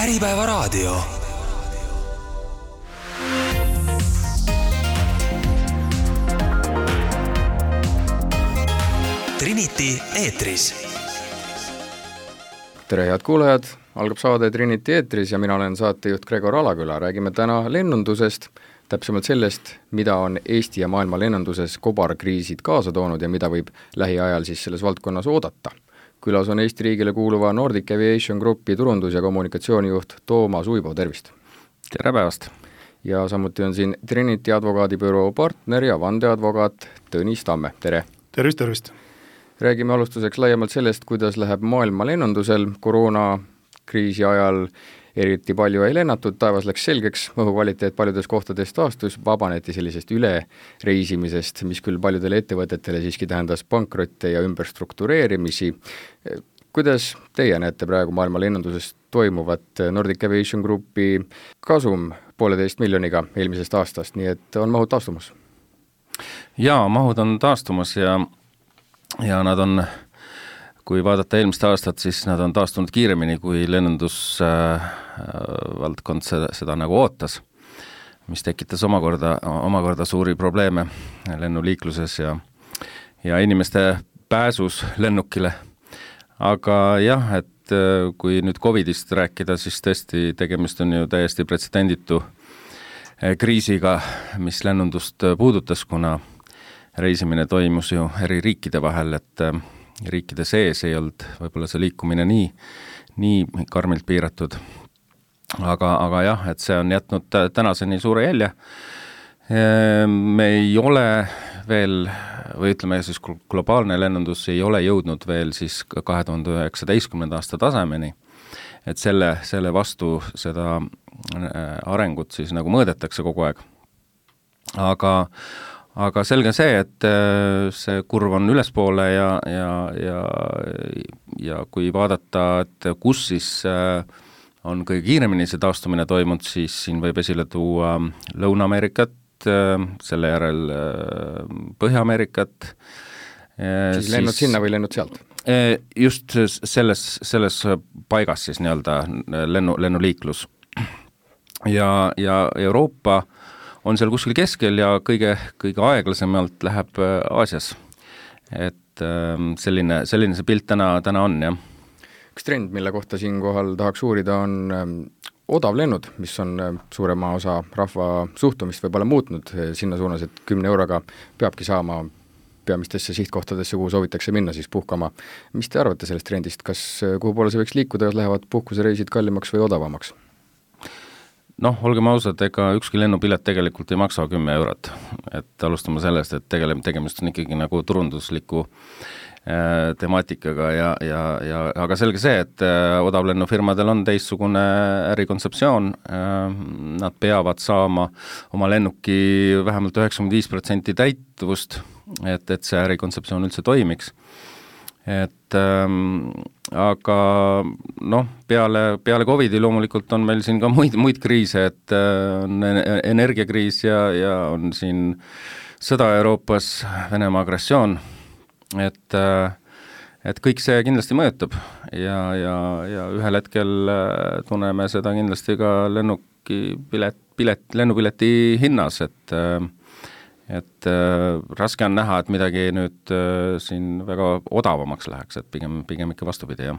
Äripäevaraadio. Trinity eetris. Tere head kuulajad, algab saade Trinity eetris ja mina olen saatejuht Gregor Alaküla. Räägime täna lennundusest, täpsemalt sellest, mida on Eesti ja maailma lennunduses kobarkriisid kaasa toonud ja mida võib lähiajal siis selles valdkonnas oodata. Külas on Eesti riigile kuuluva Nordic Aviation Groupi turundus- ja kommunikatsioonijuht Toomas Uibo, tervist! Tere päevast! Ja samuti on siin Trinity advokaadibüroo partner ja vandeadvokaat Tõnis Tamme, tere! Tervist! Räägime alustuseks laiemalt sellest, kuidas läheb maailma lennundusel. Koroonakriisi ajal eriti palju ei lennatud, taevas läks selgeks, õhukvaliteet paljudes kohtades taastus, vabaneti sellisest ülereisimisest, mis küll paljudele ettevõtetele siiski tähendas pankrotte ja ümberstruktureerimisi. Kuidas teie näete praegu maailma lennunduses toimuvat? Nordic Aviation Groupi kasum 1,5 miljoniga eelmisest aastast, nii et on mahud taastumas? Jaa, mahud on taastumas ja nad on, kui vaadata eelmist aastat, siis nad on taastunud kiiremini, kui lennundusvaldkond seda nagu ootas, mis tekitas omakorda suuri probleeme lennuliikluses ja inimeste pääsus lennukile. Aga jah, et kui nüüd COVIDist rääkida, siis tõesti tegemist on ju täiesti pretsedenditu kriisiga, mis lennundust puudutas, kuna reisimine toimus ju eri riikide vahel, et riikide sees ei olnud võib-olla see liikumine nii karmilt piiratud. Aga jah, et see on jätnud tänaseni suure jälje. Me ei ole veel, või ütleme siis globaalne lennundus ei ole jõudnud veel siis 2019. aasta tasemeni, et selle vastu seda arengut siis nagu mõõdetakse kogu aeg. Aga selge see, et see kurv on ülespoole ja kui vaadata, et kus siis on kõige kiiremini see taastumine toimunud, siis siin võib esile tuua Lõuna-Ameerikat, selle järel Põhja-Ameerikat. Siis lennud sinna või lennud sealt? Just selles paigas siis nii-öelda lennuliiklus. Ja Euroopa on seal kuskil keskel ja kõige aeglasemalt läheb Aasias. Et selline see pilt täna on, jah. Üks trend, mille kohta siinkohal tahaks uurida, on odavlennud, mis on suurema osa rahva suhtumist võib-olla muutnud sinna suunas, et 10 euroga peabki saama peamistesse sihtkohtadesse, kuhu soovitakse minna siis puhkama. Mis te arvate sellest trendist? Kas kuhu poole see võiks liikuda, lähevad puhkusereisid kallimaks või odavamaks? Olgem ausad, ega ükski lennupilet tegelikult ei maksa 10 eurot. Et alustame sellest, et tegemist on ikkagi nagu turundusliku temaatikaga aga selge see, et odavlennufirmadel on teistsugune ärikontseptsioon. Nad peavad saama oma lennuki vähemalt 95% täituvust, et see ärikontseptsioon üldse toimiks. Aga peale COVIDi loomulikult on meil siin ka muid kriise, et on energiakriis ja on siin sõda Euroopas, Venemaa agressioon, et kõik see kindlasti mõjutab ja ühel hetkel tunneme seda kindlasti ka lennupileti hinnas, et raske on näha, et midagi nüüd siin väga odavamaks läheks, et pigem ikka vastupidi, jah.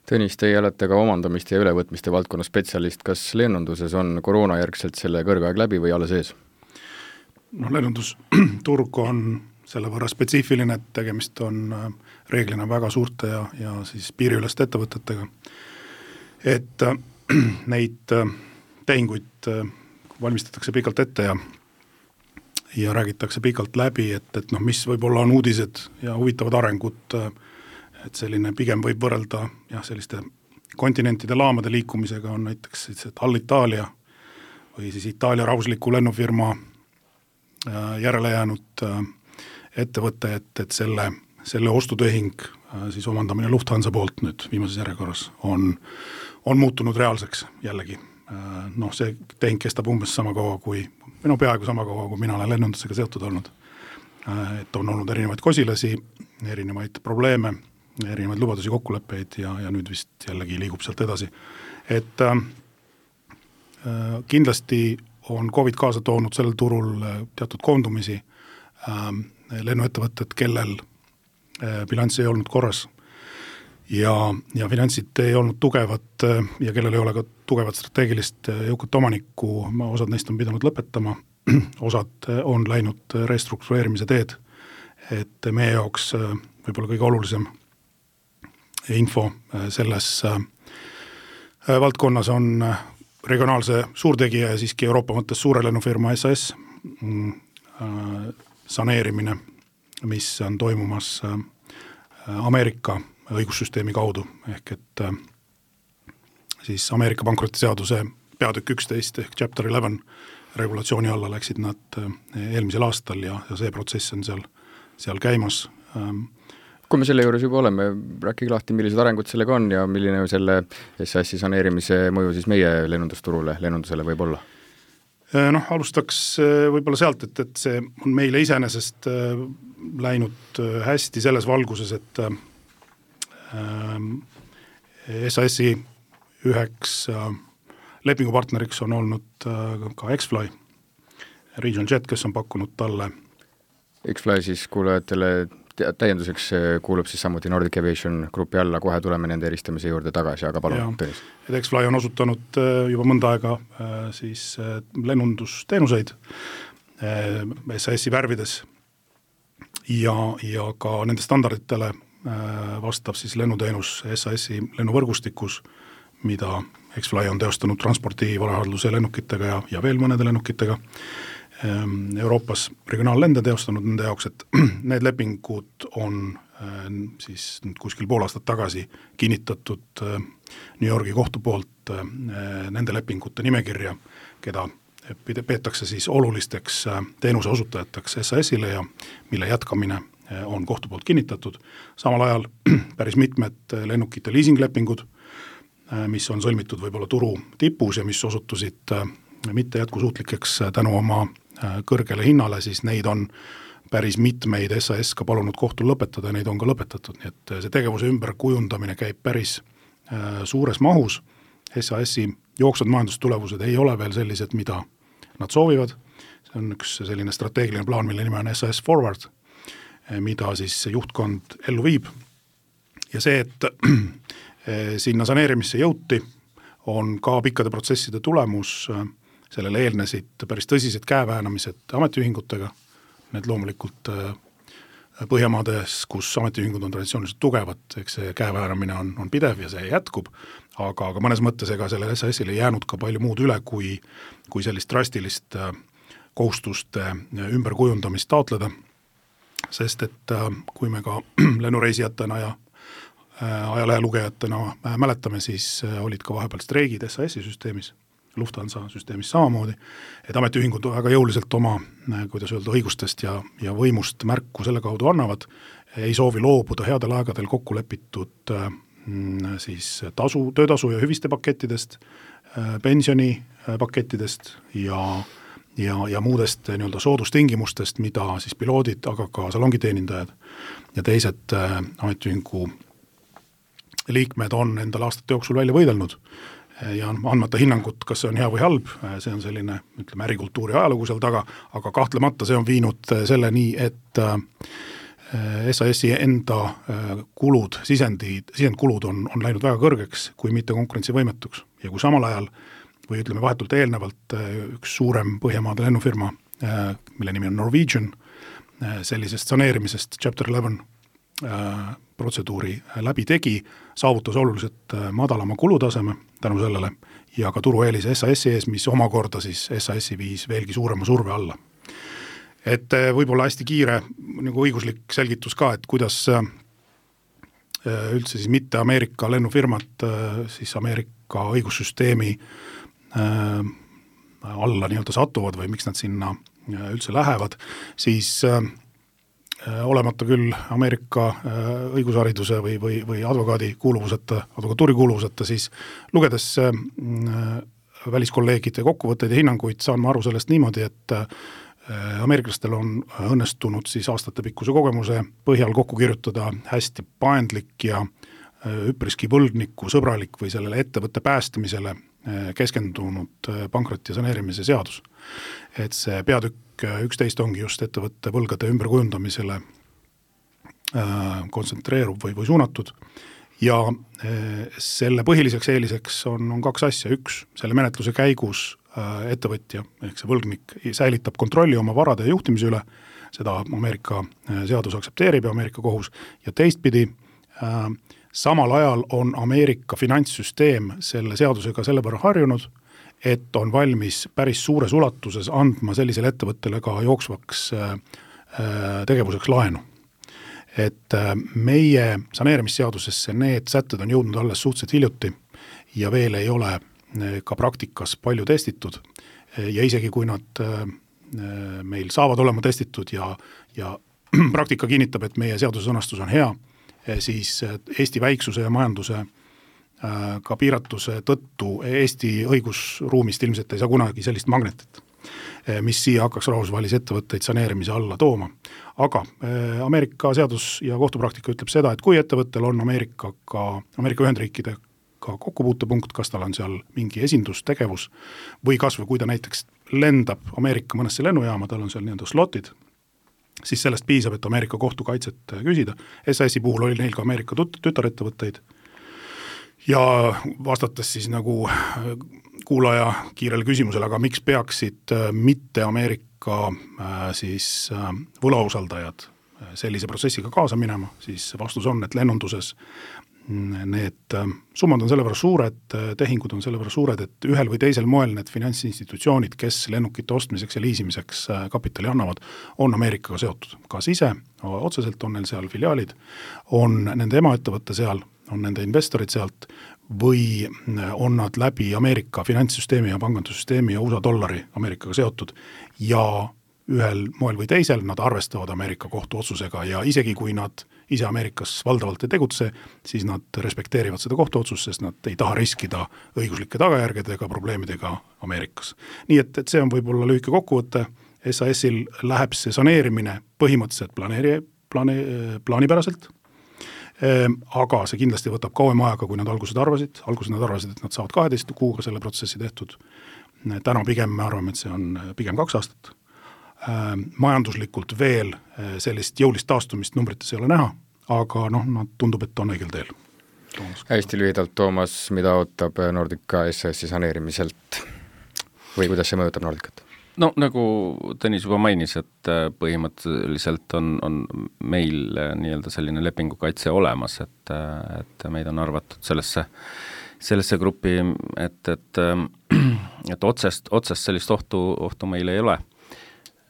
Tõnis, teie olete ka omandamiste ja ülevõtmiste valdkonna spetsialist. Kas lennunduses on koroonajärgselt selle kõrgaeg läbi või alles ees? Lennundusturg on selle võrra spetsiifiline, et tegemist on reeglina väga suurte ja siis piiriüleste ettevõtetega. Et neid tehinguid valmistatakse pikalt ette ja räägitakse pikalt läbi, et mis võib-olla on uudised ja huvitavad arengud, et selline pigem võib võrrelda selliste kontinentide laamade liikumisega on näiteks Alitalia või siis Itaalia rahvusliku lennufirma järele jäänud ettevõte, et selle ostutehing siis omandamine Lufthansa poolt nüüd viimases järjekorras on muutunud reaalseks jällegi. See tehing kestab umbes sama kaua peaaegu sama kaua, kui mina olen lennundusega seotud olnud. Et on olnud erinevaid kosilasi, erinevaid probleeme erinevaid lubadusi, kokkuleppeid ja nüüd vist jällegi liigub sealt edasi. Et kindlasti on COVID kaasa toonud sellel turul teatud koondumisi, lennuettevõtted, kellel bilanss ei olnud korras ja finantsid ei olnud tugevad ja kellel ei ole ka tugevat strateegilist jõukat omanikku, osad neist on pidanud lõpetama, osad on läinud restruktureerimise teed, et meie jaoks võib-olla kõige olulisem info selles valdkonnas on regionaalse suurtegija ja siiski Euroopa mõttes suure lennufirma SAS saneerimine, mis on toimumas Ameerika õigussüsteemi kaudu, ehk et siis Ameerika pankrotiseaduse peatükk 11 ehk Chapter 11 regulatsiooni alla läksid nad eelmisel aastal ja see protsess on seal käimas. Kui me selle juures juba oleme, rääkige lahti, millised arengud sellega on ja milline selle SAS-i saneerimise mõju siis meie lennundusele võib olla? Alustaks võib-olla sealt, et see on meile iseenesest läinud hästi selles valguses, et SAS-i üheks lepingupartneriks on olnud ka X-Fly, Regional Jet, kes on pakkunud talle. X-Fly siis kuulajatele täienduseks kuulub siis samuti Nordic Aviation grupi alla, kohe tuleme nende eristamise juurde tagasi, aga palun, Tõnis. X-Fly on osutanud juba mõnda aega siis lennundusteenuseid SAS-i värvides ja ka nende standarditele vastab siis lennuteenus SAS-i lennuvõrgustikus, mida X-Fly on teostanud transpordi varahandluse lennukitega ja veel mõnede lennukitega. Euroopas regionaallende teostanud nende jaoks, et need lepingud on siis kuskil pool aastat tagasi kinnitatud New Yorgi kohtu poolt nende lepingute nimekirja, keda peetakse siis olulisteks teenuse osutajateks SAS-ile ja mille jätkamine on kohtu poolt kinnitatud. Samal ajal päris mitmed lennukite leasinglepingud, mis on sõlmitud võib-olla turu tipus ja mis osutusid mitte jätkusuutlikeks tänu oma kõrgele hinnale, siis neid on päris mitmeid SAS ka palunud kohtul lõpetada ja neid on ka lõpetatud, nii et see tegevuse ümberkujundamine käib päris suures mahus. SAS-i jooksvad majandustulemused ei ole veel sellised, mida nad soovivad, see on üks selline strateegiline plaan, mille nime on SAS Forward, mida siis juhtkond ellu viib ja see, et sinna saneerimisse jõuti, on ka pikkade protsesside tulemus. Sellele eelnesid päris tõsised käeväänamised ametiühingutega, need loomulikult Põhjamaades, kus ametiühingud on traditsiooniliselt tugevad, eks see käeväänamine on pidev ja see jätkub, aga mõnes mõttes ega sellele SAS-ile jäänud ka palju muud üle, kui sellist drastilist kohustuste ümberkujundamist taotleda, sest et kui me ka lennureisijatena ja ajalehelugejatena mäletame, siis olid ka vahepeal streigid SAS-i süsteemis, Lufthansa süsteemis samamoodi, et ametiühingud väga jõuliselt oma, kuidas öelda, õigustest ja võimust märku selle kaudu annavad, ei soovi loobuda headel aegadel kokku lepitud siis töötasu ja hüviste pakettidest, pensionipakettidest ja muudest nii-öelda soodustingimustest, mida siis piloodid, aga ka salongiteenindajad ja teised ametiühingu liikmed on endal aastate jooksul välja võidelnud ja andmata hinnangut, kas see on hea või halb, see on selline, ütleme, ärikultuuri ajalugu seal taga, aga kahtlemata see on viinud selleni, et SAS-i enda kulud, sisendkulud on läinud väga kõrgeks, kui mitte konkurentsivõimetuks. Ja kui samal ajal, või ütleme vahetult eelnevalt, üks suurem Põhjamaade lennufirma, mille nimi on Norwegian, sellisest saneerimisest Chapter 11 protseduuri läbi tegi, saavutas oluliselt madalama kulutaseme tänu sellele ja ka turueelise SAS-i ees, mis omakorda siis SAS-i viis veelgi suurema surve alla. Et võib-olla hästi kiire nagu õiguslik selgitus ka, et kuidas üldse siis mitte Ameerika lennufirmat siis Ameerika õigussüsteemi alla nii-öelda satuvad või miks nad sinna üldse lähevad, siis olemata küll Ameerika õigushariduse või advokatuuri kuuluvuseta, siis lugedes väliskolleegide kokkuvõtteid ja hinnanguid saan ma aru sellest niimoodi, et ameeriklastel on õnnestunud siis aastatepikkuse kogemuse põhjal kokku kirjutada hästi paindlik ja üpriski võlgniku sõbralik või sellele ettevõtte päästmisele keskendunud pankroti ja saneerimise seadus. Et see peatükk 11 ongi just ettevõtte võlgade ümberkujundamisele kontsentreerub või suunatud ja selle põhiliseks eeliseks on kaks asja. Üks, selle menetluse käigus ettevõtja ehk see võlgnik säilitab kontrolli oma varade ja juhtimise üle, seda Ameerika seadus aktsepteerib ja Ameerika kohus, ja teistpidi samal ajal on Ameerika finantssüsteem selle seadusega selle võrra harjunud, et on valmis päris suures ulatuses andma sellisele ettevõttele ka jooksvaks tegevuseks laenu. Et meie saneerimisseadusesse need sätted on jõudnud alles suhteliselt hiljuti ja veel ei ole ka praktikas palju testitud ja isegi kui nad meil saavad olema testitud ja praktika kinnitab, et meie seaduse sõnastus on hea, siis Eesti väiksuse ja majanduse ka piiratuse tõttu Eesti õigusruumist ilmselt ei saa kunagi sellist magnetit, mis siia hakkaks rahvusvahelisi ettevõtteid saneerimise alla tooma. Aga Ameerika seadus ja kohtupraktika ütleb seda, et kui ettevõttel on Ameerika Ühendriikide ka kokkupuutepunkt, kas tal on seal mingi esindustegevus või kasvõi kui ta näiteks lendab Ameerika mõnesse lennujaama, tal on seal nii-öelda slotid, siis sellest piisab, et Ameerika kohtukaitset küsida. SAS-i puhul oli neil ka Ameerika tütarettevõtteid ja vastates siis nagu kuulaja kiirele küsimusele, aga miks peaksid mitte Ameerika siis võlausaldajad sellise protsessiga kaasa minema, siis vastus on, et lennunduses need summad on selle võrra suured, tehingud on selle võrra suured, et ühel või teisel moel need finantsinstitutsioonid, kes lennukite ostmiseks ja liisimiseks kapitali annavad, on Ameerikaga seotud. Kas ise, otseselt on neil seal filiaalid, on nende emaettevõtte seal, on nende investorid sealt või on nad läbi Ameerika finantssüsteemi ja pangandussüsteemi ja USA dollari Ameerikaga seotud ja ühel moel või teisel nad arvestavad Ameerika kohtuotsusega ja isegi kui nad ise Ameerikas valdavalt ei tegutse, siis nad respekteerivad seda kohtuotsust, sest nad ei taha riskida õiguslike tagajärgedega, probleemidega Ameerikas. Nii et see on võib-olla lühike kokkuvõte. SAS-il läheb see saneerimine põhimõtteliselt plaanipäraselt, aga see kindlasti võtab kauem aega, kui nad alguses arvasid, et nad saavad 12 kuuga selle protsessi tehtud. Täna pigem me arvame, et see on pigem 2 aastat. Majanduslikult veel sellist jõulist taastumist numbrites ei ole näha, aga nad tundub, et on õigel teel. Hästi lühidalt, Toomas, mida ootab Nordica SAS-i saneerimiselt või kuidas see mõjutab Nordicat? No nagu Tõnis juba mainis, et põhimõtteliselt on meil nii-öelda selline lepingukaitse olemas, et meid on arvatud sellesse gruppi, et otsest sellist ohtu meil ei ole.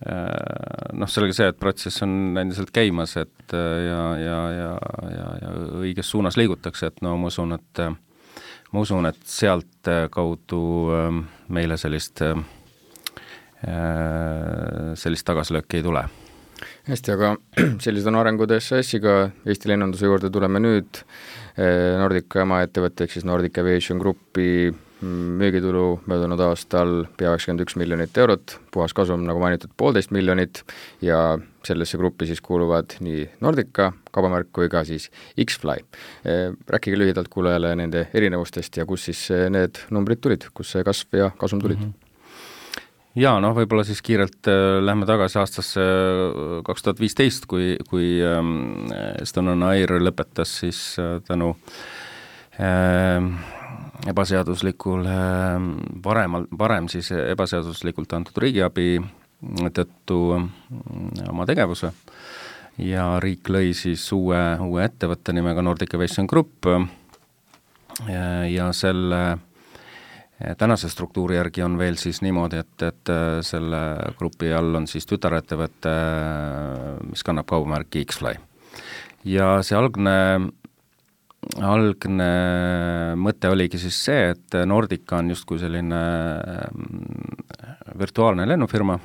Sellega see, et protsess on endiselt käimas, et ja õiges suunas liigutakse, et ma usun, et sealt kaudu meile sellist tagasilööki ei tule. Hästi, aga sellised on arengud SAS-iga, Eesti lennunduse juurde tuleme nüüd. Nordica emaettevõtte ehk siis Nordic Aviation Grupi müügitulu möödunud aastal pea 91 miljonit eurot, puhas kasum, nagu mainitud, 1,5 miljonit ja sellesse gruppi siis kuuluvad nii Nordica kaubamärk kui ka siis X-Fly. Rääkige lühidalt kuulajale nende erinevustest ja kus siis need numbrid tulid, kus see kasv ja kasum tulid? Ja võib-olla siis kiirelt lähme tagasi aastasse 2015, kui Estonian Air lõpetas siis tänu varem siis ebaseaduslikult antud riigiabi tõttu oma tegevuse ja riik lõi siis uue ettevõtte nimega Nordic Aviation Group ja selle tänase struktuuri järgi on veel siis niimoodi, et selle grupi all on siis tütarettevõte, mis kannab kaubamärki X-Fly. Ja see algne mõte oligi siis see, et Nordica on justkui selline virtuaalne lennufirma,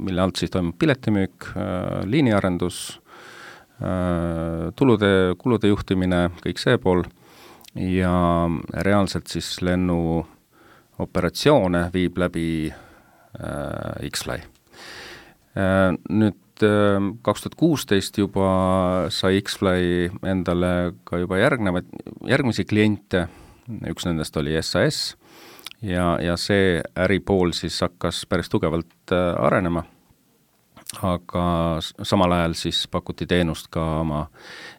mille alt siis toimub piletimüük, liiniarendus, kulude juhtimine, kõik see pool ja reaalselt siis lennuoperatsioone viib läbi X-Fly. Nüüd 2016 juba sai X-Fly endale ka juba järgmisi kliente, üks nendest oli SAS ja see äripool siis hakkas päris tugevalt arenema, aga samal ajal siis pakuti teenust ka oma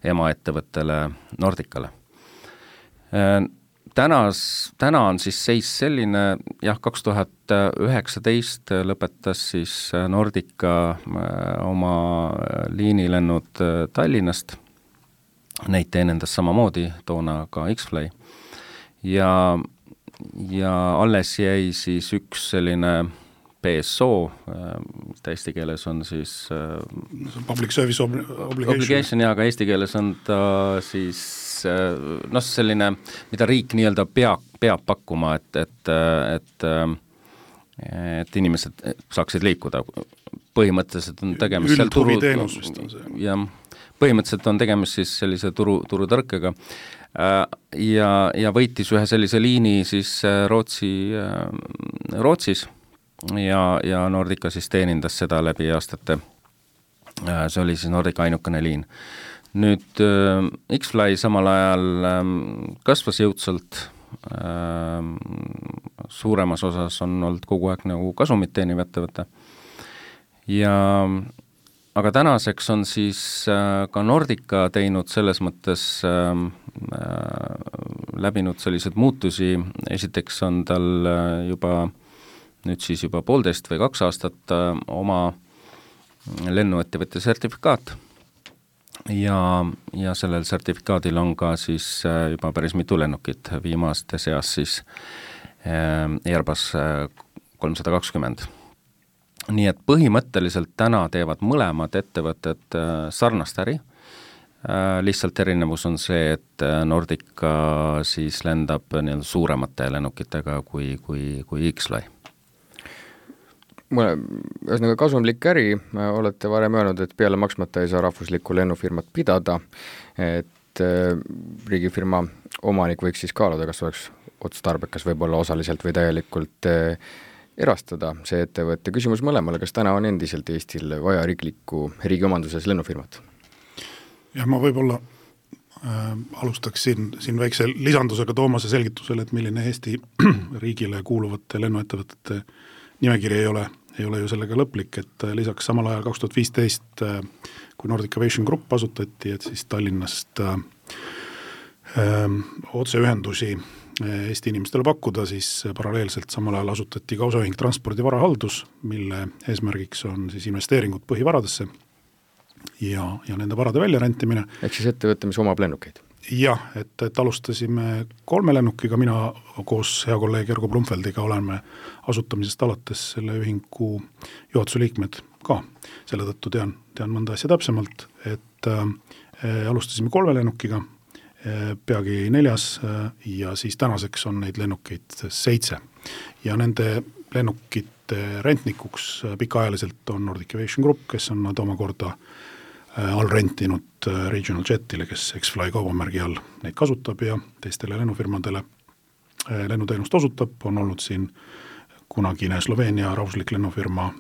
emaettevõttele Nordicale. Täna on siis seis selline, 2019 lõpetas siis Nordica oma liinilennud Tallinnast, neid teenendas samamoodi toona ka X-Fly ja alles jäi siis üks selline PSO, eesti keeles on siis Public Service Obligation, ja aga eesti keeles on ta siis selline, mida riik nii-öelda peab pakkuma, et inimesed saaksid liikuda. Põhimõtteliselt on tegemist üldhuviteenus vist on see. Ja põhimõtteliselt on tegemist siis sellise turutõrkega ja võitis ühe sellise liini siis Rootsis ja Nordica siis teenindas seda läbi aastate. See oli siis Nordica ainukene liin. Nüüd X-Fly samal ajal kasvas jõudsalt, suuremas osas on olnud kogu aeg nagu kasumit teeniv ettevõte. Aga tänaseks on siis ka Nordica teinud selles mõttes läbinud sellised muutusi. Esiteks on tal nüüd siis juba 1,5 või 2 aastat oma lennuettevõtte sertifikaat. Ja sellel sertifikaadil on ka siis juba päris mitu lennukit, viimaste seas siis Airbus 320. Nii et põhimõtteliselt täna teevad mõlemad ettevõtted sarnast äri, lihtsalt erinevus on see, et Nordica siis lendab suuremate lennukitega kui X-Fly. Ühesõnaga kasumlik äri, olete varem öelnud, et peale maksmata ei saa rahvuslikku lennufirmat pidada, et riigifirma omanik võiks siis kaaluda, kas oleks otstarbekas võib-olla osaliselt või täielikult erastada see ettevõtte. Küsimus mõlemale, kas täna on endiselt Eestil vaja riigi omanduses lennufirmat? Ja ma võib-olla alustaks siin väikse lisandusega Toomase selgitusele, et milline Eesti riigile kuuluvate lennuettevõtete nimekiri ei ole ju sellega lõplik, et lisaks samal ajal 2015, kui Nordic Aviation Group asutati, et siis Tallinnast otseühendusi Eesti inimestele pakkuda, siis paralleelselt samal ajal asutati ka osaühing Transpordi varahaldus, mille eesmärgiks on siis investeeringud põhivaradesse ja nende varade väljarentimine. Ehk siis ettevõte, mis omab lennukeid? Jah, et alustasime 3 lennukiga, mina koos hea kolleeg Järgo Blumfeldiga oleme asutamisest alates selle ühingu juhatuse liikmed ka. Selle tõttu tean mõnda asja täpsemalt, et alustasime 3 lennukiga, peagi 4 ja siis tänaseks on neid lennukeid 7. Ja nende lennukite rentnikuks pikaajaliselt on Nordic Aviation Group, kes on nad omakorda all rentinud Regional Jetile, kes X-Fly kaubamärgi all neid kasutab ja teistele lennufirmadele lennuteenust osutab. On olnud siin kunagine Sloveenia rahvuslik lennufirma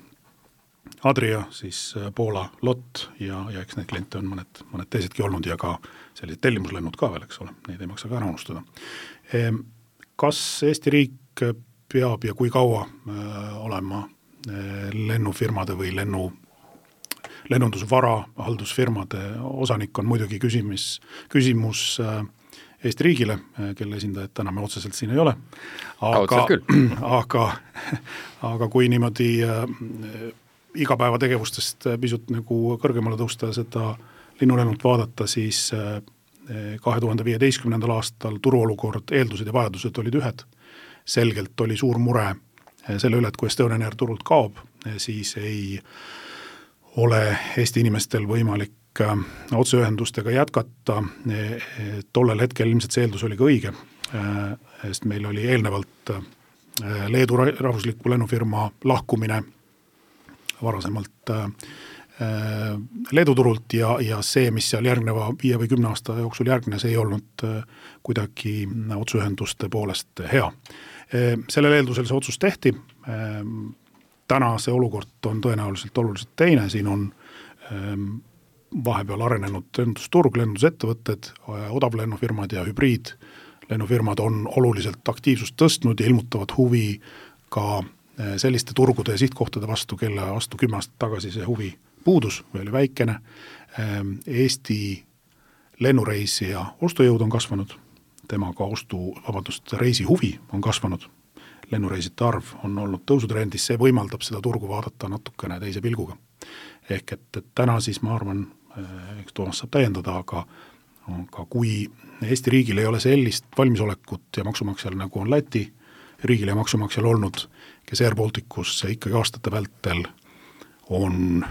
Adria, siis Poola LOT ja eks neid kliente on mõned teisedki olnud ja ka sellised tellimuslennud ka veel, eks ole, neid ei maksa ka ära unustada. Kas Eesti riik peab ja kui kaua olema lennufirmade või lennundusvara haldusfirmade osanik on muidugi küsimus Eesti riigile, kelle esindajad täna me otseselt siin ei ole. Aga kui niimoodi igapäevategevustest pisut nagu kõrgemale tõusta seda linnulennult vaadata, siis 2015. aastal turuolukord, eeldused ja vajadused olid ühed. Selgelt oli suur mure selle üle, et kui Estonian Air turult kaob, siis ei ole Eesti inimestel võimalik otseühendustega jätkata. Tollel hetkel ilmselt see eeldus oli ka õige, sest meil oli eelnevalt Leedu rahvusliku lennufirma lahkumine varasemalt Leedu turult ja see, mis seal järgneva 5 või 10 aasta jooksul järgnes, ei olnud kuidagi otseühenduste poolest hea. Sellel eeldusel see otsus tehti. täna see olukord on tõenäoliselt oluliselt teine, siin on vahepeal arenenud lendusturg, lendusettevõtted, odavlennufirmad ja hübriidlennufirmad on oluliselt aktiivsust tõstnud ja ilmutavad huvi ka selliste turgude ja sihtkohtade vastu, kelle vastu 10 aastat tagasi see huvi puudus või oli väikene. Eesti lennureisija ostujõud on kasvanud, temaga reisi huvi on kasvanud, lennureisite arv on olnud tõusutrendis, see võimaldab seda turgu vaadata natukene teise pilguga. Ehk et täna siis ma arvan, eks Toomas saab täiendada, aga kui Eesti riigil ei ole sellist valmisolekut ja maksumaksjal nagu on Läti riigil ja maksumaksjal olnud, kes Air Balticus ikkagi aastate vältel on,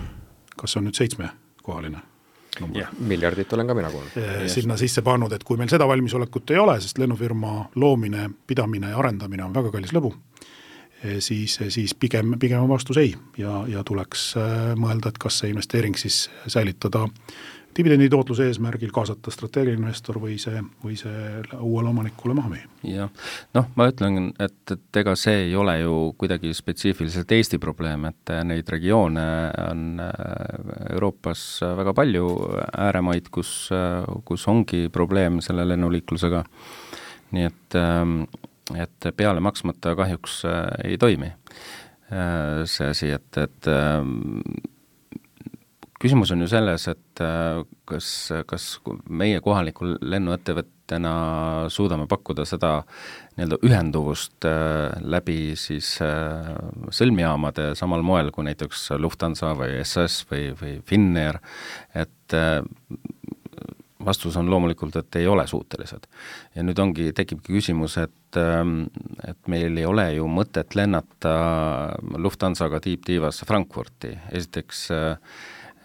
kas see on nüüd 7-kohaline number? Yeah. Miljardit olen ka mina kuulnud. Sinna sisse pannud, et kui meil seda valmisolekut ei ole, sest lennufirma loomine, pidamine ja arendamine on väga kallis lõbu, siis pigem on vastus ei ja tuleks mõelda, et kas see investeering siis säilitada dividendi tootluse eesmärgil, kaasata strateegiline investor või see uuele omanikule maha müüa. Jah, ma ütlen, et ega see ei ole ju kuidagi spetsiifiliselt Eesti probleem, et neid regioone on Euroopas väga palju ääremaid, kus ongi probleem selle lennuliiklusega, nii et peale maksmata kahjuks ei toimi see asi, et küsimus on ju selles, et kas meie kohaliku lennuettevõttena suudame pakkuda seda nii-öelda ühenduvust läbi siis sõlmjaamade samal moel kui näiteks Lufthansa või SAS või Finnair, et vastus on loomulikult, et ei ole suutelised. Ja nüüd tekibki küsimus, et meil ei ole ju mõtet lennata Lufthansaga tiibtiivasse Frankfurti. Esiteks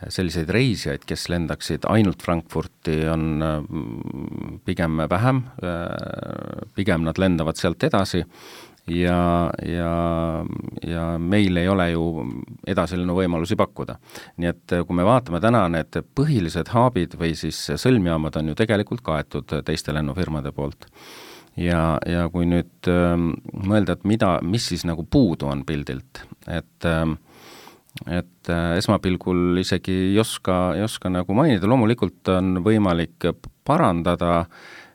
selliseid reisijaid, kes lendaksid ainult Frankfurti, on pigem vähem, pigem nad lendavad sealt edasi ja meil ei ole ju edasilenu võimalusi pakkuda. Nii et kui me vaatame täna, need põhilised haabid või siis sõlmjaamad on ju tegelikult kaetud teiste lennufirmade poolt. Ja kui nüüd mõelda, et mis siis nagu puudu on pildilt, et esmapilgul isegi ei oska nagu mainida, loomulikult on võimalik parandada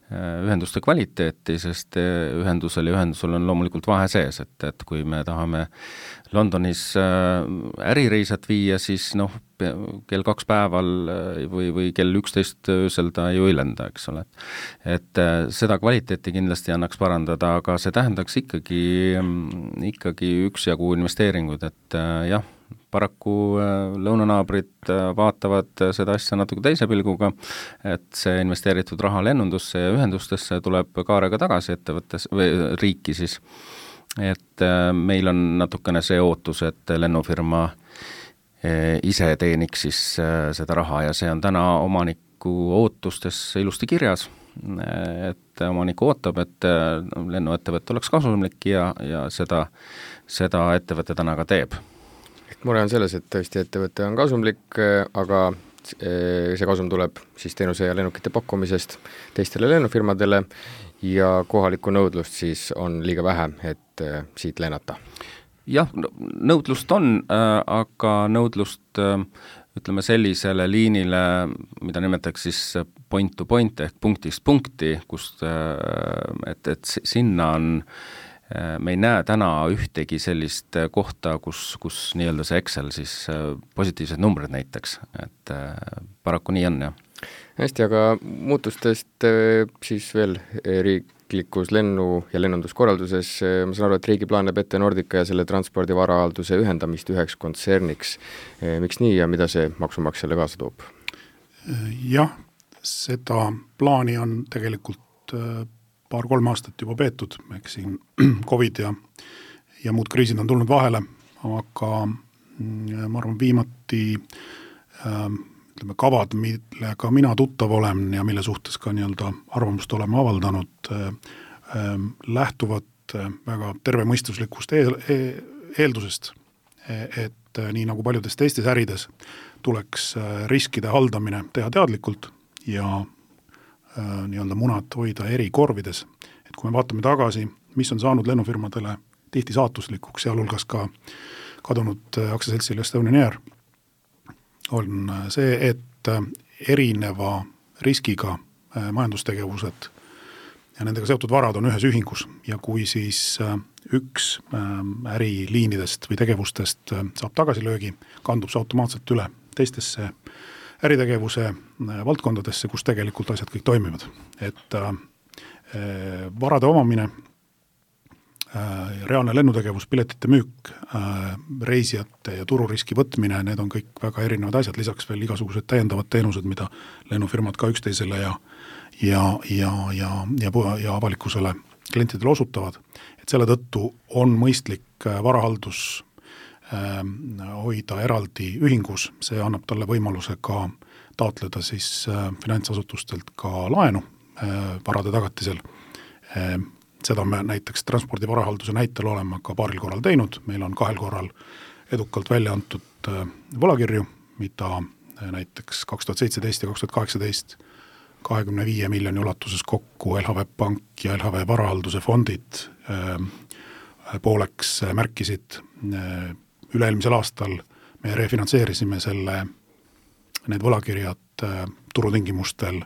ühenduste kvaliteeti, sest ühendusel on loomulikult vahe sees, et kui me tahame Londonis ärireisat viia, siis kell 2 päeval või kell 11 öösel ta ju ei lenda, eks ole. Et seda kvaliteeti kindlasti annaks parandada, aga see tähendaks ikkagi üksjagu investeeringud, et jah, paraku lõunanaabrid vaatavad seda asja natuke teise pilguga, et see investeeritud raha lennundusse ja ühendustesse tuleb kaarega tagasi ettevõttes või riiki siis. Et meil on natukene see ootus, et lennufirma ise teeniks siis seda raha ja see on täna omaniku ootustes ilusti kirjas, et omanik ootab, et lennuettevõte oleks kasumlik ja seda ettevõte täna ka teeb. Mure on selles, et tõesti ettevõte on kasumlik, aga see kasum tuleb siis teenuse ja lennukite pakkumisest teistele lennufirmadele ja kohalikku nõudlust siis on liiga vähe, et siit lennata. Jah, nõudlust on, aga nõudlust ütleme sellisele liinile, mida nimetaks siis point to point ehk punktist punkti, et sinna on me ei näe täna ühtegi sellist kohta, kus nii-öelda see Excel siis positiivsed numbrid näiteks, et paraku nii on, jah. Hästi, aga muutustest siis veel riiklikus lennu- ja lennunduskorralduses, ma saan aru, et riigi plaan näeb ette Nordica ja selle transpordivarahalduse ühendamist üheks kontserniks. Miks nii ja mida see maksumaksjale kaasa toob? Jah, seda plaani on tegelikult 2-3 aastat juba peetud, eks siin COVID ja muud kriisid on tulnud vahele, aga ma arvan viimati kavad, millega mina tuttav olen ja mille suhtes ka nii-öelda arvamust oleme avaldanud, lähtuvad väga tervemõistuslikust eeldusest, et nii nagu paljudes teistes ärides tuleks riskide haldamine teha teadlikult ja nii-öelda munad hoida eri korvides, et kui me vaatame tagasi, mis on saanud lennufirmadele tihti saatuslikuks, sealhulgas ka kadunud aktsiaseltsil Estonian Air, on see, et erineva riskiga majandustegevused ja nendega seotud varad on ühes ühingus ja kui siis üks äriliinidest või tegevustest saab tagasilöögi, kandub see automaatselt üle teistesse äritegevuse valdkondadesse, kus tegelikult asjad kõik toimivad. Et varade omamine, reaalne lennutegevus, piletite müük, reisijate ja tururiski võtmine, need on kõik väga erinevad asjad, lisaks veel igasugused täiendavad teenused, mida lennufirmad ka üksteisele ja avalikkusele klientidele osutavad. Et selle tõttu on mõistlik varahaldus hoida eraldi ühingus, see annab talle võimaluse ka taotleda siis finantsasutustelt ka laenu varade tagatisel. Seda me näiteks transpordi varahalduse näitel oleme ka paaril korral teinud, meil on 2 korral edukalt välja antud võlakirju, mida näiteks 2017 ja 2018 25 miljoni ulatuses kokku LHV Pank ja LHV varahalduse fondid pooleks märkisid. Üle-eelmisel aastal me refinantseerisime need võlakirjad turutingimustel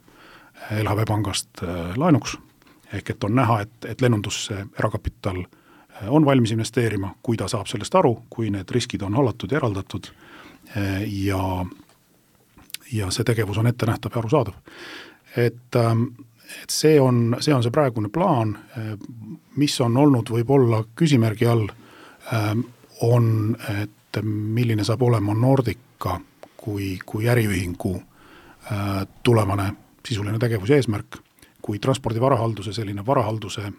LHV Pangast laenuks, ehk et on näha, et lennundusse erakapital on valmis investeerima, kui ta saab sellest aru, kui need riskid on hallatud ja eraldatud ja see tegevus on ettenähtav ja arusaadav. Et see on see praegune plaan, mis on olnud võib-olla küsimärgi all, on, et milline saab olema Nordica kui äriühingu tulevane sisuline tegevus ja eesmärk, kui transpordi varahalduse, selline varahalduse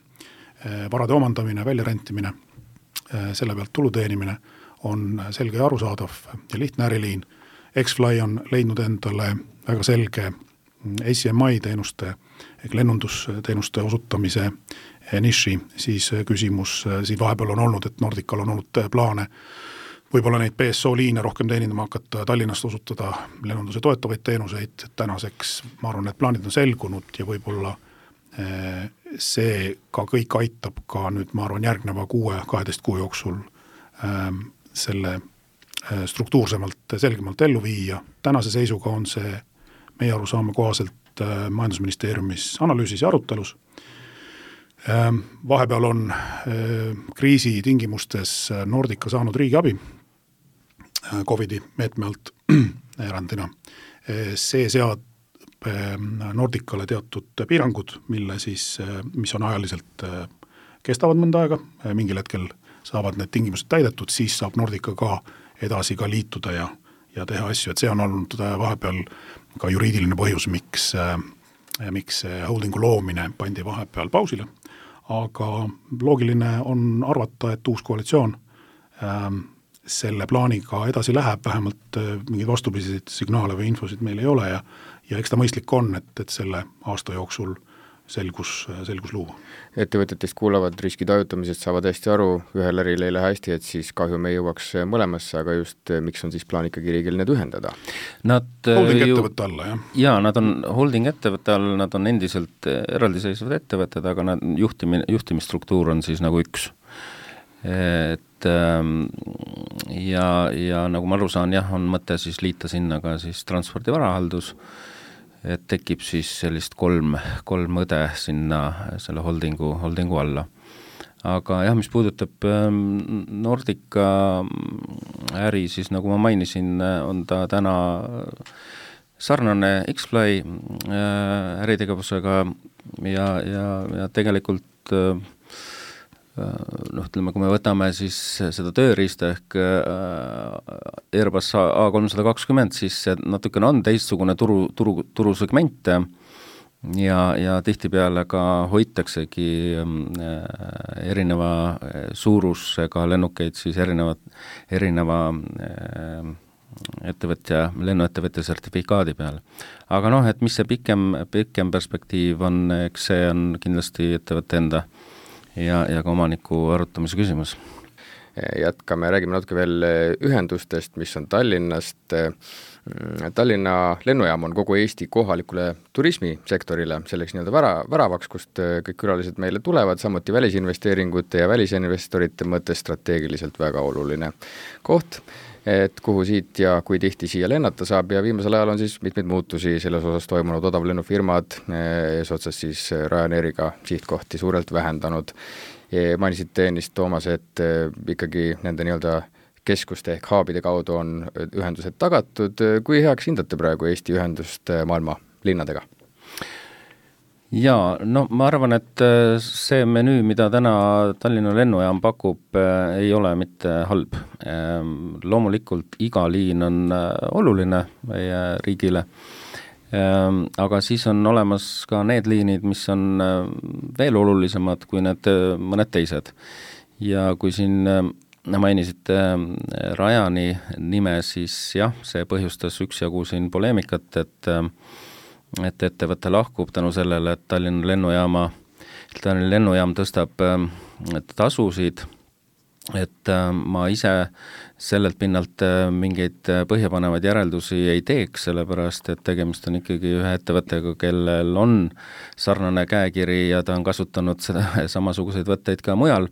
varade omandamine, väljarentimine, selle pealt tulu teenimine on selge ja arusaadav ja lihtne äriliin. X-Fly on leidnud endale väga selge ACMI teenuste ehk lennundusteenuste osutamise niši, siis küsimus siin vahepeal on olnud, et Nordical on olnud plaane võib-olla neid PSO liine rohkem teenindama hakata, Tallinnast osutada lennunduse toetavaid teenuseid, tänaseks ma arvan, et plaanid on selgunud ja võib-olla see ka kõik aitab ka nüüd, ma arvan, järgneva 6-12 kuu jooksul selle struktuursemalt, selgemalt ellu viia. Tänase seisuga on see meie arusaama kohaselt majandusministeeriumis analüüsis ja arutelus. Vahepeal on kriisi tingimustes Nordica saanud riigiabi COVID-i meetme alt erandina. See seab Nordicale teatud piirangud, mis on ajaliselt kestavad mõnda aega, mingil hetkel saavad need tingimused täidetud, siis saab Nordica ka edasi ka liituda ja teha asju, et see on olnud vahepeal ka juriidiline põhjus, miks holdingu loomine pandi vahepeal pausile, aga loogiline on arvata, et uus koalitsioon selle plaaniga edasi läheb, vähemalt mingeid vastupidiseid signaale või infosid meil ei ole ja eks ta mõistlik on, et selle aasta jooksul selgus luua. Ettevõtetest kuulavad riski tajutamisest, saavad hästi aru, ühel äril ei lähe hästi, et siis kahju me jõuaks mõlemasse, aga just miks on siis plaan ikkagi riigil need ühendada? Holding ettevõtte alla, jah? Jaa, nad on holding ettevõtte all, nad on endiselt eraldiseisvad ettevõtted, aga juhtimisstruktuur on siis nagu üks. Ja nagu ma aru saan, jah, on mõte siis liita sinna ka siis transpordi varahaldus, et tekib siis sellist kolm õde sinna selle holdingu alla. Aga jah, mis puudutab Nordica äri, siis nagu ma mainisin, on ta täna sarnane X-Fly äritegevusega ja tegelikult ütleme, kui me võtame siis seda tööriista ehk Airbus A320, siis see natukene on teistsugune turusegment ja tihtipeale ka hoitaksegi erineva suurusega lennukeid siis erineva ettevõtja, lennuettevõtja sertifikaadi peal. Aga et mis see pikem perspektiiv on, eks see on kindlasti ettevõtte enda ja ka omaniku arutamise küsimus. jätkame, räägime natuke veel ühendustest, mis on Tallinnast. Tallinna lennujaam on kogu Eesti kohalikule turismisektorile selleks väravaks, kust kõik külalised meile tulevad, samuti välisinvesteeringute ja välisinvestorite mõttes strateegiliselt väga oluline koht, et kuhu siit ja kui tihti siia lennata saab ja viimasel ajal on siis mitmeid muutusi selles osas toimunud, odavlennufirmad eesotsas siis Ryanairiga sihtkohti suurelt vähendanud. Mainisite ennist, Toomas, et ikkagi nende keskuste ehk haabide kaudu on ühendused tagatud. Kui heaks hindate praegu Eesti ühendust maailma linnadega? Jaa, ma arvan, et see menüü, mida täna Tallinna lennujaam pakub, ei ole mitte halb. Loomulikult iga liin on oluline meie riigile, aga siis on olemas ka need liinid, mis on veel olulisemad kui need mõned teised. Ja kui siin mainisite Ryani nime, siis jah, see põhjustas üksjagu siin poleemikat, et ettevõte lahkub tänu sellele, et Tallinna lennujaam tõstab tasusid, et ma ise sellelt pinnalt mingeid põhjapanevaid järeldusi ei teeks, sellepärast et tegemist on ikkagi ühe ettevõttega, kellel on sarnane käekiri ja ta on kasutanud samasuguseid võtteid ka mujal,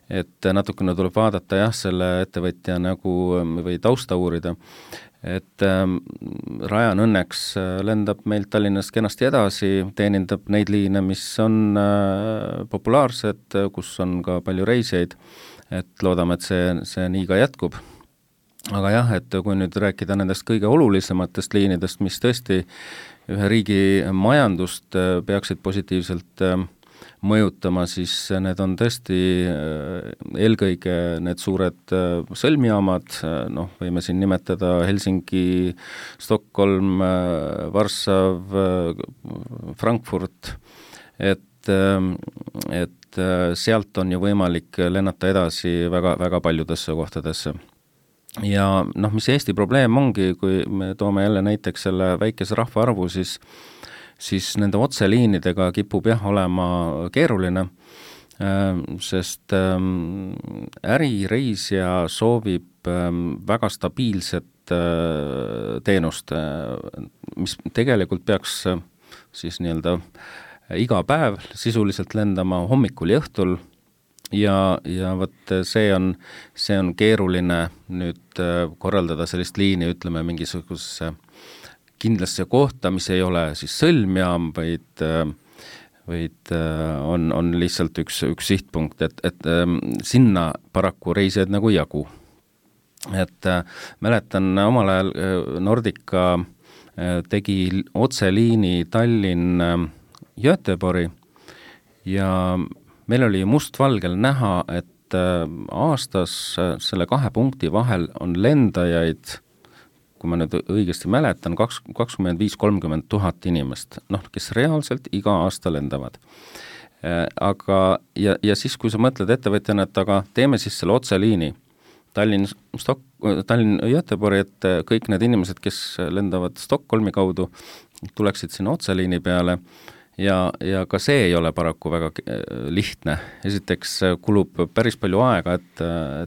et natukene tuleb vaadata selle ettevõtja või tausta uurida, et Ryan õnneks lendab meilt Tallinnast kenasti edasi, teenindab neid liine, mis on populaarsed, kus on ka palju reisijaid, et loodame, et see nii ka jätkub. Aga jah, et kui nüüd rääkida nendest kõige olulisematest liinidest, mis tõesti ühe riigi majandust peaksid positiivselt mõjutama, siis need on tõesti eelkõige need suured sõlmjaamad, võime siin nimetada Helsingi, Stockholm, Varssav, Frankfurt, et sealt on ju võimalik lennata edasi väga, väga paljudesse kohtadesse. Ja mis Eesti probleem ongi, kui me toome jälle näiteks selle väikese rahvaarvu, siis nende otseliinidega kipub olema keeruline, sest ärireisija soovib väga stabiilset teenust, mis tegelikult peaks siis iga päev sisuliselt lendama hommikul ja õhtul ja vot see on keeruline nüüd korraldada sellist liini, ütleme mingisugusesse kindlasse kohta, mis ei ole siis sõlmjaam, vaid on lihtsalt üks sihtpunkt, et sinna paraku reisijaid nagu jagu. Et mäletan omal ajal Nordica tegi otseliini Tallinn-Göteborgi ja meil oli mustvalgel näha, et aastas selle 2 punkti vahel on lendajaid, kui ma nüüd õigesti mäletan, 25-30 000 inimest, kes reaalselt iga aasta lendavad. Aga ja siis, kui sa mõtled ettevõtjana, et aga teeme siis selle otseliini Tallinn-Göteborgi, et kõik need inimesed, kes lendavad Stockholmi kaudu, tuleksid sinna otseliini peale ja ka see ei ole paraku väga lihtne. Esiteks kulub päris palju aega, et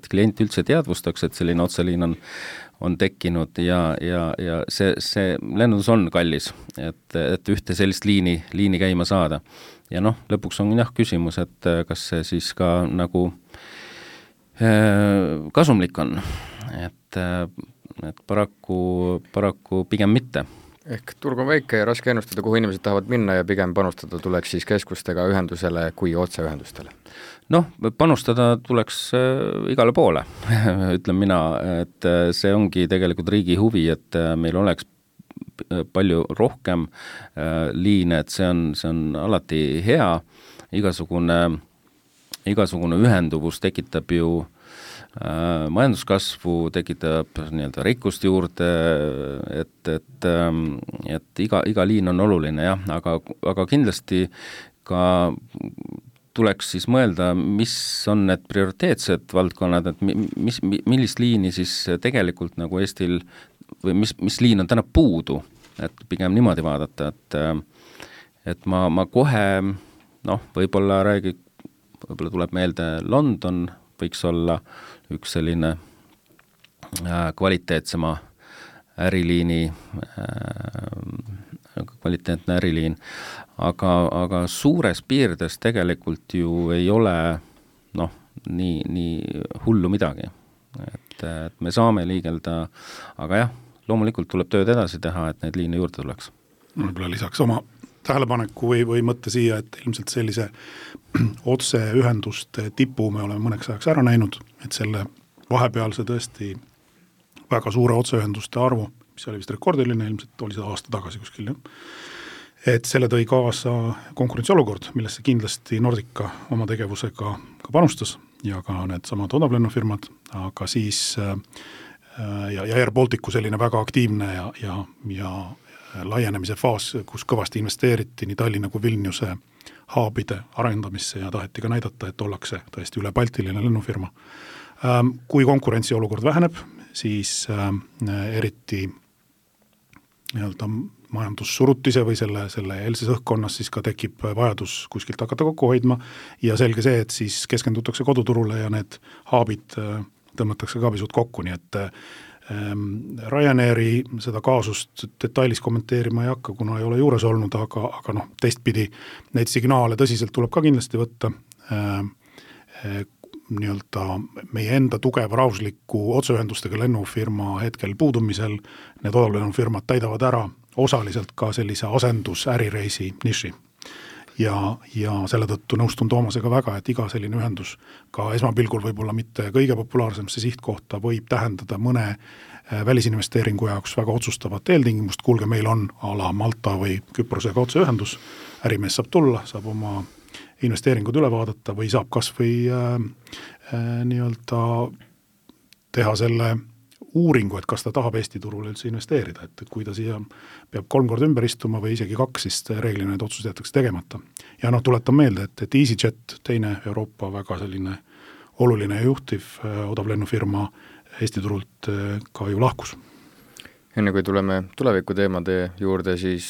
klient üldse teadvustaks, et selline otseliin on tekkinud ja see lennundus on kallis, et ühte sellist liini käima saada. Ja lõpuks on küsimus, et kas see siis ka nagu kasumlik on, et paraku pigem mitte. Ehk turg on väike ja raske ennustada, kuhu inimesed tahavad minna ja pigem panustada tuleks siis keskustega ühendusele kui otseühendustele. Panustada tuleks igale poole, ütlen mina, et see ongi tegelikult riigi huvi, et meil oleks palju rohkem liine, et see on alati hea, igasugune ühenduvus tekitab ju majanduskasvu, tekitab rikkust juurde, et iga liin on oluline, jah, aga kindlasti ka tuleks siis mõelda, mis on need prioriteetsed valdkonnad, et millist liini siis tegelikult nagu Eestil või mis liin on täna puudu, et pigem niimoodi vaadata, et ma kohe, võib-olla tuleb meelde London, võiks olla üks selline kvaliteetsema äriliini, kvaliteetne äriliin, aga suures piirdes tegelikult ju ei ole nii hullu midagi. Et me saame liigelda, aga jah, loomulikult tuleb tööd edasi teha, et neid liine juurde tuleks. Võib-olla lisaks oma tähelepaneku või mõtte siia, et ilmselt sellise otseühenduste tipu me oleme mõneks ajaks ära näinud, et selle vahepealse tõesti väga suure otseühenduste arvu, mis oli vist rekordiline, ilmselt oli seda aasta tagasi kuskil, et selle tõi kaasa konkurentsiolukord, millesse kindlasti Nordica oma tegevusega ka panustas ja ka need samad odavlennufirmad, aga siis ja Air Balticu selline väga aktiivne ja laienemise faas, kus kõvasti investeeriti nii Tallinna kui Vilniuse haabide arendamisse ja taheti ka näidata, et ollakse tõesti üle baltiline lennufirma. Kui konkurentsiolukord väheneb, siis eriti nii-öelda majandussurutise või selle eelses õhkkonnas siis ka tekib vajadus kuskilt hakata kokku hoidma ja selge see, et siis keskendutakse koduturule ja need haabid tõmmatakse ka pisut kokku, nii et Ryanairi seda kaasust detailis kommenteerima ei hakka, kuna ei ole juures olnud, aga teistpidi neid signaale tõsiselt tuleb ka kindlasti võtta nii-öelda meie enda tugeva rahvusliku otseühendustega lennufirma hetkel puudumisel, need odavlennufirmad täidavad ära osaliselt ka sellise asendus ärireisi niši. Ja selle tõttu nõustun Toomasega väga, et iga selline ühendus ka esmapilgul võib-olla mitte kõige populaarsemse sihtkohta võib tähendada mõne välisinvesteeringu jaoks väga otsustavat eeltingimust, kuulge, meil on ala Malta või Küprosega otseühendus, ärimees saab tulla, saab oma investeeringud üle vaadata või saab kas või nii-öelda teha selle uuringu, et kas ta tahab Eesti turule üldse investeerida, et kui ta siia peab 3 korda ümber istuma või isegi 2, siis reeglina need otsused jätakse tegemata. Ja tuletan meelde, et EasyJet, teine Euroopa väga selline oluline ja juhtiv odavlennufirma Eesti turult ka ju lahkus. Enne kui tuleme tuleviku teemade juurde, siis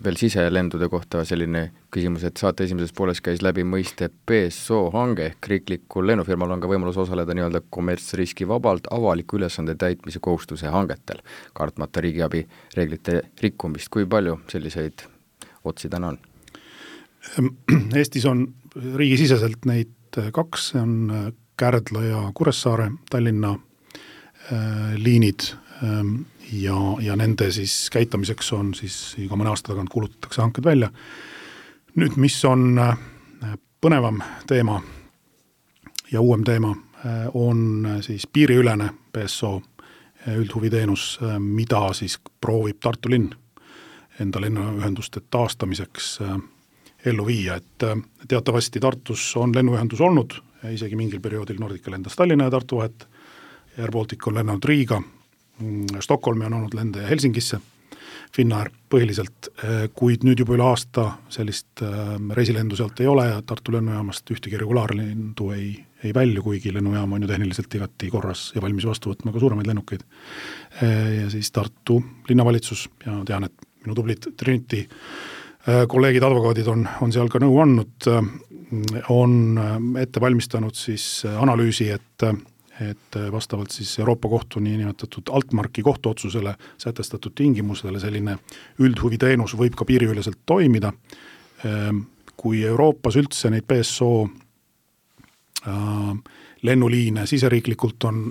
veel siselendude kohta selline küsimus, et saate esimeses pooles käis läbi mõiste PSO hange, ehk riiklikul lennufirmal on ka võimalus osaleda nii-öelda kommertsriski vabalt avaliku ülesande täitmise kohustuse hangetel, kartmata riigiabi reeglite rikkumist. Kui palju selliseid otsi täna on? Eestis on riigisiseselt neid 2, see on Kärdla ja Kuressaare, Tallinna liinid ja nende siis käitamiseks on siis iga mõne aasta tagant kuulutatakse hanked välja. Nüüd, mis on põnevam teema ja uuem teema, on siis piiriülene PSO üldhuviteenus, mida siis proovib Tartu linn enda lennuühenduste taastamiseks ellu viia, et teatavasti Tartus on lennuühendus olnud, isegi mingil perioodil Nordica lendas Tallinna ja Tartu vahet, Air Baltic on lennanud Riiga, Stockholmi on olnud lende Helsingisse, Finnair põhiliselt, kuid nüüd juba üle aasta sellist reisilendu sealt ei ole ja Tartu lennujaamast ühtegi regulaarlendu ei välju, kuigi lennujaam on ju tehniliselt igati korras ja valmis vastu võtma ka suuremaid lennukeid. Ja siis Tartu linnavalitsus ja tean, et minu tublid Trinity kolleegid, advokaadid on seal ka nõu andnud, on ette valmistanud siis analüüsi, et vastavalt siis Euroopa kohtu niinimetatud Altmarki kohtuotsusele sätestatud tingimusele selline üldhuviteenus võib ka piiriüleselt toimida. Kui Euroopas üldse neid PSO lennuliine siseriiklikult on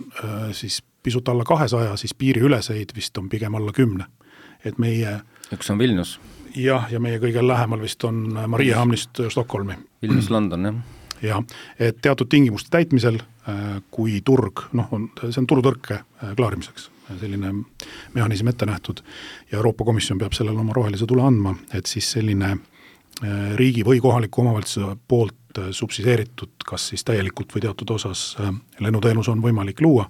siis pisut alla 200, siis piiriüleseid vist on pigem alla 10. Et meie üks on Vilnius. Ja meie kõige lähemal vist on Mariehamnist Stockholmi. Vilnius, London, jah. Ja, et teatud tingimuste täitmisel, kui turg, see on turutõrke klaarimiseks, selline mehhanism ette nähtud ja Euroopa Komisjon peab sellele oma rohelise tule andma, et siis selline riigi või kohaliku omavalitsuse poolt subsideeritud, kas siis täielikult või teatud osas lennuteenus on võimalik luua.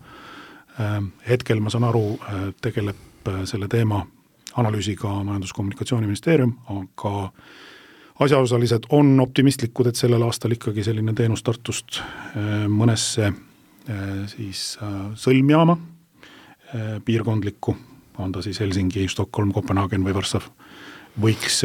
Hetkel ma saan aru, tegeleb selle teema analüüsiga Majandus-Kommunikatsiooniministeerium, aga asjaosalised on optimistlikud, et sellel aastal ikkagi selline teenus Tartust mõnesse siis sõlmjaama piirkondlikku, on ta siis Helsingi, Stockholm, Kopenhagen või Varssav, võiks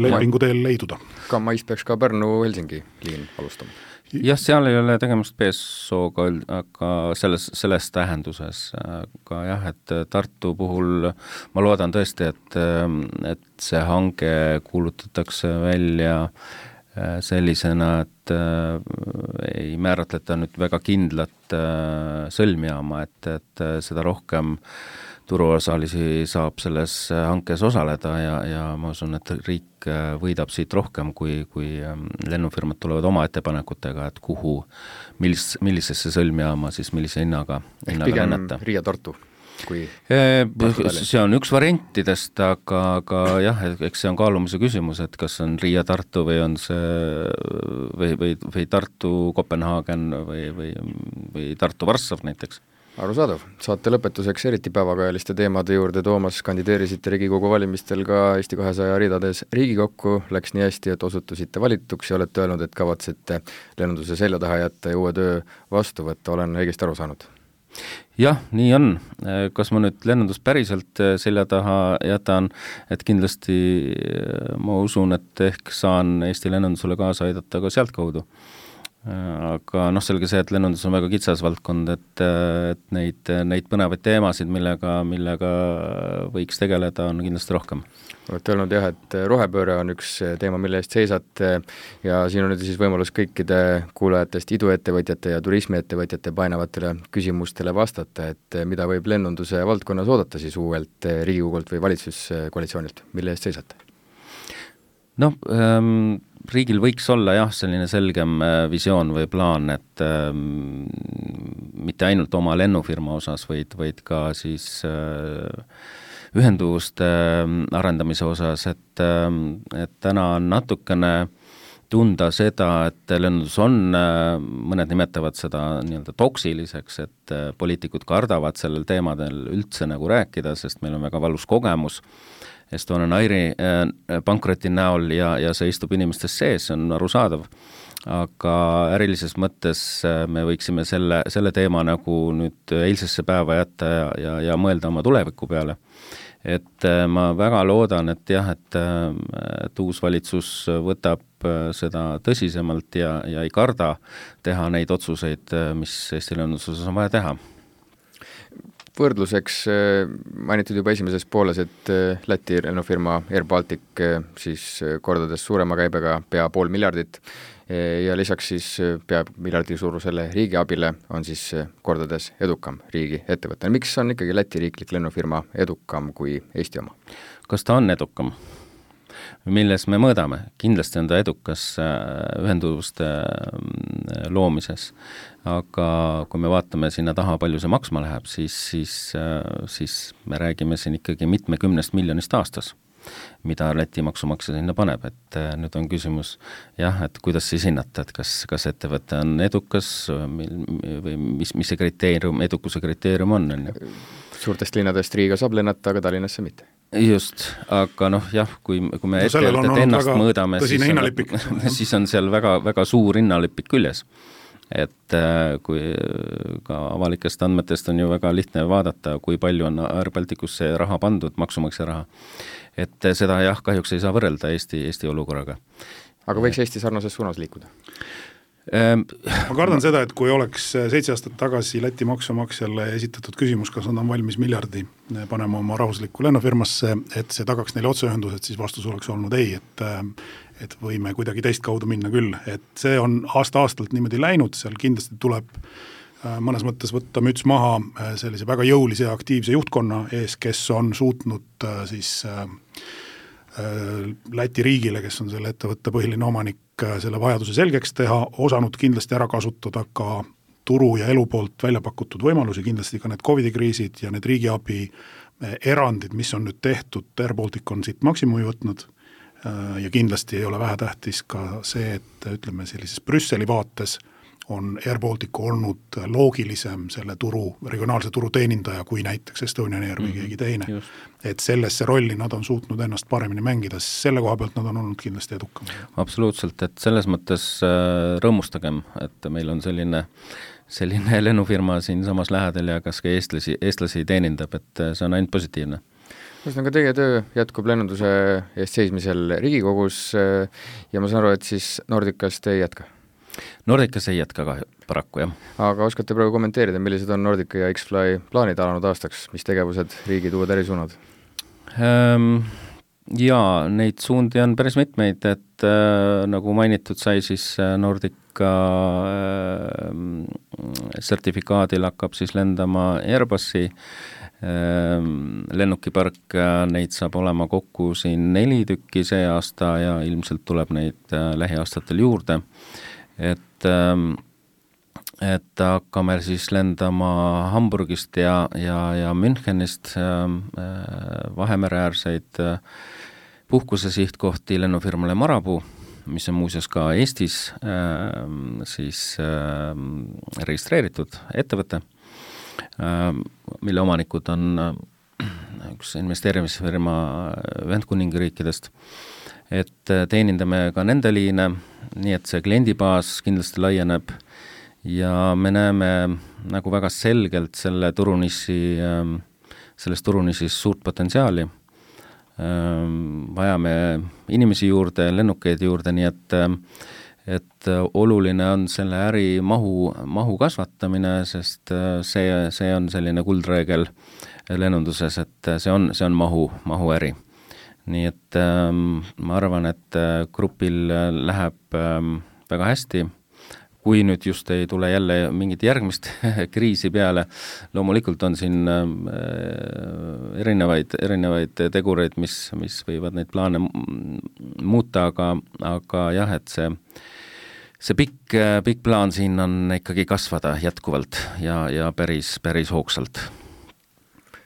lepingu teel leiduda. Ka mais peaks ka Pärnu-Helsingi liin alustama. Jah, seal ei ole tegemist BSO-ga, aga selles tähenduses, aga jah, et Tartu puhul ma loodan tõesti, et see hange kuulutatakse välja sellisena, et ei määratleta nüüd väga kindlat sõlmjaama, et seda rohkem turuosalisi saab selles hankes osaleda ja ma usun, et riik võidab siit rohkem, kui lennufirmad tulevad oma ettepanekutega, et kuhu, millisesse sõlmjaama siis millise hinnaga pigem lennata. Riia-Tartu? See on üks variantidest, aga jah, eks see on kaalumise küsimus, et kas on Riia-Tartu või on see või Tartu-Kopenhaagen või Tartu-Varssav näiteks. Arusaadav. Saate lõpetuseks eriti päevakajaliste teemade juurde. Toomas, kandideerisite Riigikogu valimistel ka Eesti 200 ridades Riigikokku, läks nii hästi, et osutusite valituks ja olete öelnud, et kavatsete lennunduse selja taha jätta ja uue töö vastu võtta. Olen õigesti aru saanud? Jah, nii on. Kas ma nüüd lennundust päriselt selja taha jätan, et kindlasti ma usun, et ehk saan Eesti lennundusele kaasa aidata ka sealt kaudu. Aga selge see, et lennundus on väga kitsas valdkond, et neid põnevaid teemasid, millega võiks tegeleda, on kindlasti rohkem. Olete öelnud jah, et rohepööre on üks teema, mille eest seisate ja siin on nüüd siis võimalus kõikide kuulajatest iduettevõtjate ja turismiettevõtjate painavatele küsimustele vastata, et mida võib lennunduse valdkonnas oodata siis uuelt Riigikogult või valitsuskoalitsioonilt, mille eest seisate? Riigil võiks olla jah, selline selgem visioon või plaan, et mitte ainult oma lennufirma osas, vaid ka siis ühenduvuste arendamise osas, et täna on natukene tunda seda, et lennundus on, mõned nimetavad seda nii-öelda toksiliseks, et poliitikud kardavad sellel teemadel üldse nagu rääkida, sest meil on väga valus kogemus Estonian Airi pankroti näol ja see istub inimestes sees, see on arusaadav. Aga ärilises mõttes me võiksime selle teema nagu nüüd eilsesse päeva jätta ja mõelda oma tuleviku peale. Et ma väga loodan, et jah, et uus valitsus võtab seda tõsisemalt ja ei karda teha neid otsuseid, mis Eesti lennunduses on vaja teha. Võrdluseks mainitud juba esimeses pooles, et Läti lennufirma Air Baltic siis kordades suurema käibega pea $500 miljardit ja lisaks siis pea miljardi suurusele riigiabile on siis kordades edukam riigi ettevõte. Miks on ikkagi Läti riiklik lennufirma edukam kui Eesti oma? Kas ta on edukam? Milles me mõõdame? Kindlasti on ta edukas ühenduvuste loomises, aga kui me vaatame sinna taha, palju see maksma läheb, siis me räägime siin ikkagi 70 miljonist aastas, mida Läti maksumaksja sinna paneb, et nüüd on küsimus jah, et kuidas siis hinnata, et kas ettevõte on edukas või mis see kriteerium, edukuse kriteerium on? Suurtest linnadest Riiga saab lennata, aga Tallinnasse mitte. Just, aga jah, kui me ettevõtet ennast mõõdame, siis on seal väga, väga suur hinnalipik küljes. Et kui ka avalikest andmetest on ju väga lihtne vaadata, kui palju on Air Balticusse raha pandud, maksumaksja raha. Et seda jah, kahjuks ei saa võrrelda Eesti olukorraga. Aga võiks Eesti sarnases suunas liikuda? Ma kardan seda, et kui oleks 7 aastat tagasi Läti maksumaksjale esitatud küsimus, kas nad on valmis miljardi panema oma rahvuslikku lennufirmasse, et see tagaks neile otseühendused, siis vastus oleks olnud ei, et võime kuidagi teist kaudu minna küll, et see on aasta-aastalt niimoodi läinud, seal kindlasti tuleb mõnes mõttes võtta müts maha sellise väga jõulise ja aktiivse juhtkonna ees, kes on suutnud siis Läti riigile, kes on selle ettevõtte põhiline omanik, selle vajaduse selgeks teha, osanud kindlasti ära kasutada ka turu ja elu poolt välja pakutud võimalusi, kindlasti ka need COVID-kriisid ja need riigiabi erandid, mis on nüüd tehtud, Air Baltic on siit maksimumi võtnud ja kindlasti ei ole vähetähtis ka see, et ütleme sellises Brüsseli vaates on Air Baltic olnud loogilisem selle regionaalse turu teenindaja kui näiteks Estonian Air või keegi teine. Just. Et sellesse rolli nad on suutnud ennast paremini mängida, selle koha pealt nad on olnud kindlasti edukam. Absoluutselt, et selles mõttes rõõmustagem, et meil on selline lennufirma siin samas lähedal ja kas ka eestlasi teenindab, et see on ainult positiivne. Ühesõnaga, teie töö jätkub lennunduse eest seismisel Riigikogus ja ma saan aru, et siis Nordicast ei jätka? Nordicas ei jätka paraku, jah. Aga oskate praegu kommenteerida, millised on Nordica ja X-Fly plaanid alanud aastaks, mis tegevused riigid uued ärisuunad? Jaa, neid suundi on päris mitmeid, et nagu mainitud sai, siis Nordica sertifikaadil hakkab siis lendama Airbusi lennukipark, neid saab olema kokku siin 4 tükki see aasta ja ilmselt tuleb neid lähiaastatel juurde, et hakkame siis lendama Hamburgist ja Münchenist Vahemereäärseid puhkusesihtkohti lennufirmale Marabou, mis on muuseas ka Eestis siis registreeritud ettevõte, mille omanikud on üks investeerimisfirma Ühendkuningriikidest, et teenindame ka nende liine, nii et see kliendibaas kindlasti laieneb ja me näeme nagu väga selgelt selles turunišis suurt potentsiaali. Vajame inimesi juurde, lennukeid juurde, nii et oluline on selle äri mahu kasvatamine, sest see on selline kuldreegel lennunduses, et see on mahu äri. Nii et ma arvan, et grupil läheb väga hästi, kui nüüd just ei tule jälle mingit järgmist kriisi peale. Loomulikult on siin erinevaid tegureid, mis võivad neid plaane muuta, aga jah, et see pikk plaan siin on ikkagi kasvada jätkuvalt ja päris hoogsalt.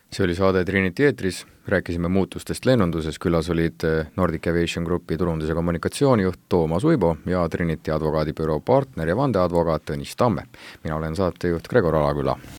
See oli saade Trinity eetris, rääkisime muutustest lennunduses, külas olid Nordic Aviation Grupi turundus- ja kommunikatsioonijuht Toomas Uibo ja Trinity advokaadibüroo partner ja vandeadvokaat Tõnis Tamme. Mina olen saatejuht Gregor Alaküla.